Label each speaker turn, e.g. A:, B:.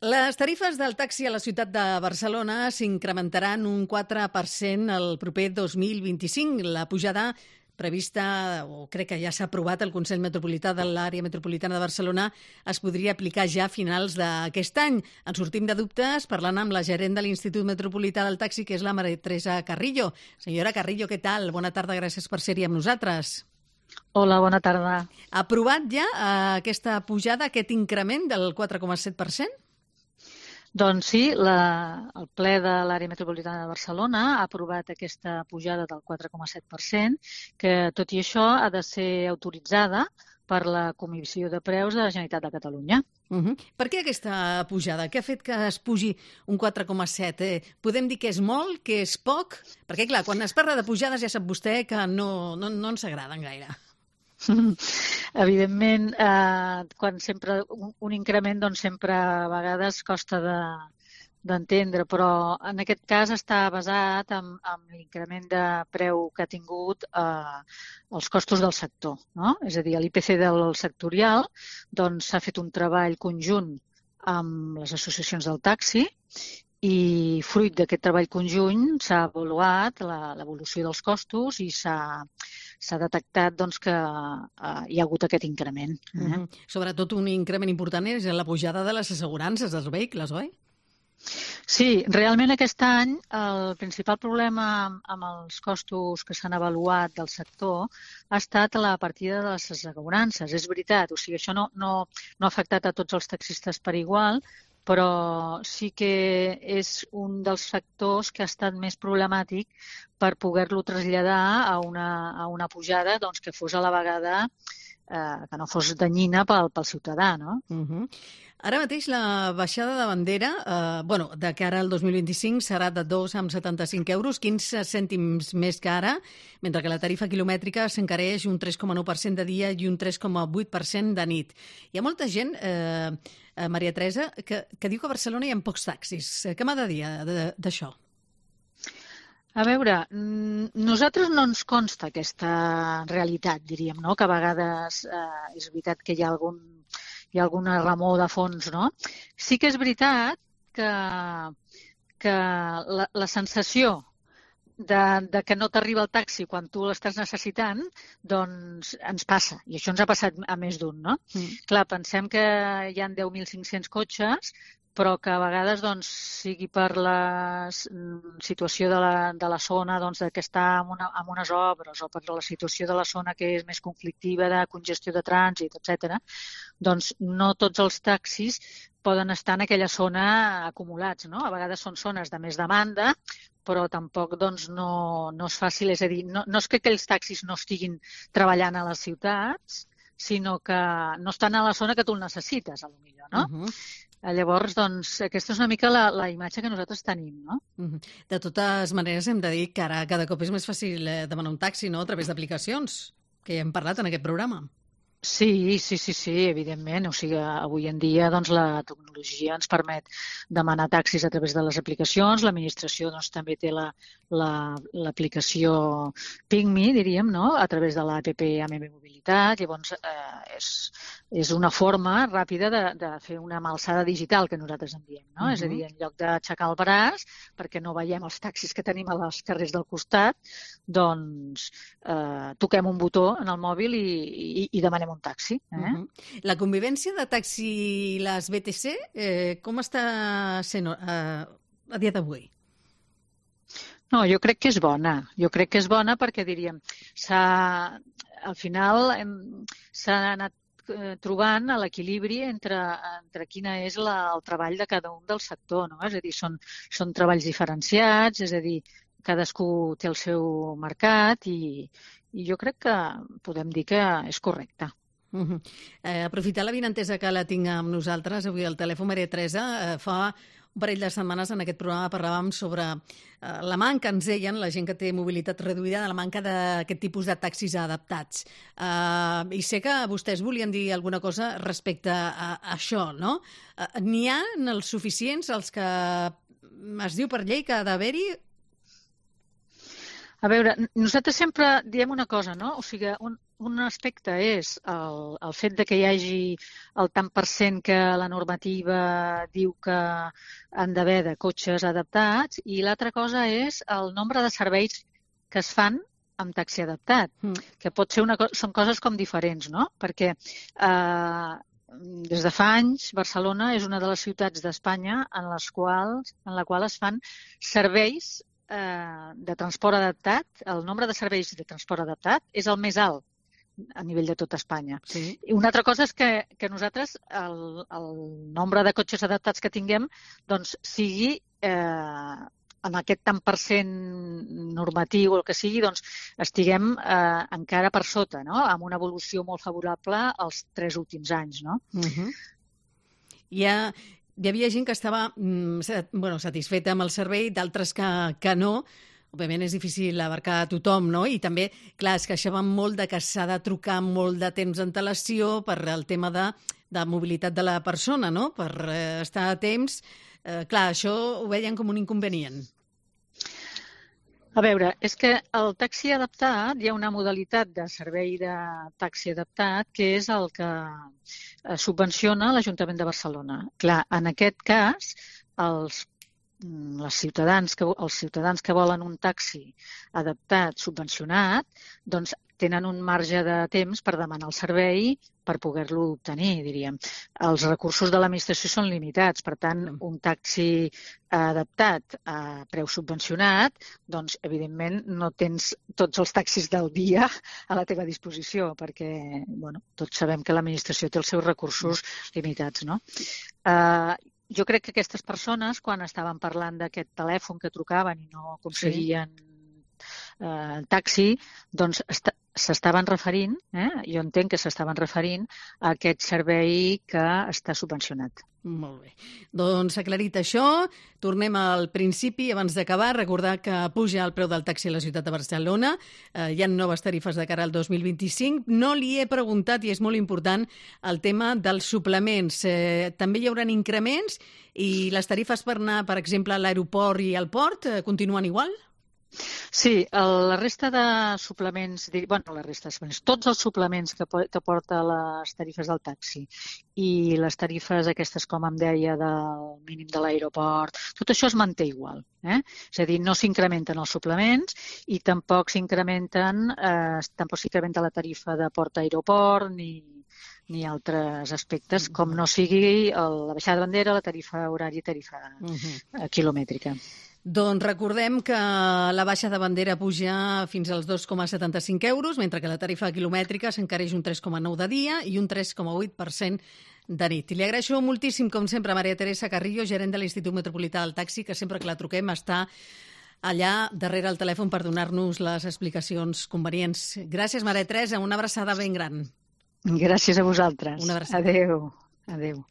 A: Les tarifes del taxi a la ciutat de Barcelona s'incrementaran un 4% el proper 2025. La pujada prevista, o crec que ja s'ha aprovat al Consell Metropolità de l'Àrea Metropolitana de Barcelona, es podria aplicar ja a finals d'aquest any. En sortim de dubtes parlant amb la gerent de l'Institut Metropolità del Taxi, que és la Maria Teresa Carrillo. Senyora Carrillo, què tal? Bona tarda, gràcies per ser-hi amb nosaltres.
B: Hola, bona tarda.
A: Ha aprovat ja aquesta pujada, aquest increment del 4,7%?
B: Doncs sí, el ple de l'Àrea Metropolitana de Barcelona ha aprovat aquesta pujada del 4,7%, que tot i això ha de ser autoritzada per la Comissió de Preus de la Generalitat de Catalunya.
A: Per què aquesta pujada? Què ha fet que es pugi un 4,7? Podem dir que és molt, que és poc? Perquè, clar, quan es parla de pujades ja sap vostè que no ens agraden gaire.
B: Evidentment, quan sempre un increment doncs sempre a vegades costa d'entendre, però en aquest cas està basat en l'increment de preu que ha tingut els costos del sector, no? És a dir, l'IPC del sectorial doncs s'ha fet un treball conjunt amb les associacions del taxi i fruit d'aquest treball conjunt s'ha avaluat l'evolució dels costos i s'ha detectat doncs, que hi ha hagut aquest increment.
A: Sobretot un increment important és la pujada de les assegurances dels vehicles, oi?
B: Sí, realment aquest any el principal problema amb els costos que s'han avaluat del sector ha estat la partida de les assegurances. És veritat, o sigui, això no ha afectat a tots els taxistes per igual, però sí que és un dels factors que ha estat més problemàtic per poder-lo traslladar a una pujada doncs, que fos a la vegada que no fos danyina pel ciutadà, no?
A: Ara mateix la baixada de bandera, de cara al 2025, serà de 2,75 euros, 15 cèntims més que ara, mentre que la tarifa quilomètrica s'encareix un 3,9% de dia i un 3,8% de nit. Hi ha molta gent, Maria Teresa, que diu que a Barcelona hi ha pocs taxis. Què m'ha de dir d'això?
B: A veure, nosaltres no ens consta aquesta realitat, diríem, no? Que a vegades és veritat que hi ha alguna remor de fons, no? Sí que és veritat que la sensació de que no t'arriba el taxi quan tu l'estàs necessitant, doncs ens passa. I això ens ha passat a més d'un, no? Clar, pensem que hi ha 10.500 cotxes, però que a vegades doncs, sigui per la situació de la zona doncs, que està en unes obres o per la situació de la zona que és més conflictiva, de congestió de trànsit, etc., doncs no tots els taxis poden estar en aquella zona acumulats, no? A vegades són zones de més demanda, però tampoc doncs, no és fàcil. És a dir, no és que aquells taxis no estiguin treballant a les ciutats, sinó que no estan a la zona que tu el necessites, potser, no? Llavors, doncs, aquesta és una mica la imatge que nosaltres tenim, no?
A: De totes maneres, hem de dir que ara cada cop és més fàcil demanar un taxi, no?, a través d'aplicacions, que ja hem parlat en aquest programa.
B: Sí, evidentment. O sigui, avui en dia doncs, la tecnologia ens permet demanar taxis a través de les aplicacions. L'administració doncs, també té l'aplicació PinkMe, diríem, no?, a través de l'APP AMM Mobilitat. Llavors, és una forma ràpida de fer una malsada digital, que nosaltres en diem, no? És a dir, en lloc d'aixecar el braç, perquè no veiem els taxis que tenim als carrers del costat, doncs toquem un botó en el mòbil i demanem un taxi.
A: La convivència de taxi i les BTC, com està sent a dia d'avui?
B: No, jo crec que és bona. Jo crec que és bona perquè, diríem, al final s'ha anat trobant l'equilibri entre quina és el treball de cada un del sector, no? És a dir, són treballs diferenciats, és a dir, cadascú té el seu mercat i jo crec que podem dir que és correcte.
A: Aprofitar l'avinentesa que la tinc amb nosaltres avui al telèfon, Maria Teresa. Fa un parell de setmanes en aquest programa parlàvem sobre la manca, ens deien, la gent que té mobilitat reduïda, de la manca d'aquest tipus de taxis adaptats. I sé que vostès volien dir alguna cosa respecte a això, no? N'hi ha els suficients, els que es diu per llei que ha d'haver-hi?
B: A veure, nosaltres sempre diem una cosa, no? O sigui, un aspecte és el fet de que hi hagi el tant per cent que la normativa diu que han d'haver de cotxes adaptats i l'altra cosa és el nombre de serveis que es fan amb taxi adaptat, que pot ser són coses com diferents, no? Perquè des de fa anys Barcelona és una de les ciutats d'Espanya en la qual es fan serveis de transport adaptat. El nombre de serveis de transport adaptat és el més alt a nivell de tot Espanya.
A: Sí.
B: I una altra cosa és que nosaltres el nombre de cotxes adaptats que tinguem doncs sigui en aquest tant per cent normatiu o el que sigui, doncs estiguem encara per sota, no? Amb una evolució molt favorable els 3 últims anys, no?
A: Hi havia gent que estava satisfeta amb el servei, d'altres que no. Òbviament és difícil abarcar a tothom, no? I també, clar, es queixaven molt de que s'ha de trucar molt de temps d'antelació per el tema de mobilitat de la persona, no? Per estar a temps. Clar, això ho veien com un inconvenient.
B: A veure, és que el taxi adaptat, hi ha una modalitat de servei de taxi adaptat que és el que subvenciona l'Ajuntament de Barcelona. Clar, en aquest cas, els ciutadans que volen un taxi adaptat, subvencionat, doncs tenen un marge de temps per demanar el servei per poder-lo obtenir, diríem. Els recursos de l'administració són limitats, per tant, un taxi adaptat a preu subvencionat, doncs, evidentment, no tens tots els taxis del dia a la teva disposició, perquè, bueno, tots sabem que l'administració té els seus recursos limitats, no? Jo crec que aquestes persones, quan estaven parlant d'aquest telèfon que trucaven i no aconseguien taxi, doncs s'estaven referint, jo entenc que s'estaven referint a aquest servei que està subvencionat.
A: Molt bé. Doncs aclarit això, tornem al principi. Abans d'acabar, recordar que puja el preu del taxi a la ciutat de Barcelona. Hi ha noves tarifes de cara al 2025. No li he preguntat, i és molt important, el tema dels suplements. També hi haurà increments i les tarifes per anar, per exemple, a l'aeroport i al port continuen igual?
B: Sí, la resta de suplements, tots els suplements que porta les tarifes del taxi i les tarifes aquestes, com em deia, del mínim de l'aeroport, tot això es manté igual. És a dir, no s'incrementen els suplements i tampoc s'incrementa la tarifa de port-aeroport ni altres aspectes, com no sigui la baixada de bandera, la tarifa horària i tarifa quilomètrica.
A: Doncs recordem que la baixa de bandera puja fins als 2,75 euros, mentre que la tarifa quilomètrica s'encareix un 3,9 de dia i un 3,8% de nit. I li agraeixo moltíssim, com sempre, a Maria Teresa Carrillo, gerent de l'Institut Metropolità del Taxi, que sempre que la truquem està allà darrere el telèfon per donar-nos les explicacions convenients. Gràcies, Maria Teresa, una abraçada ben gran.
B: Gràcies a vosaltres.
A: Una abraçada.
B: Adéu. Adéu.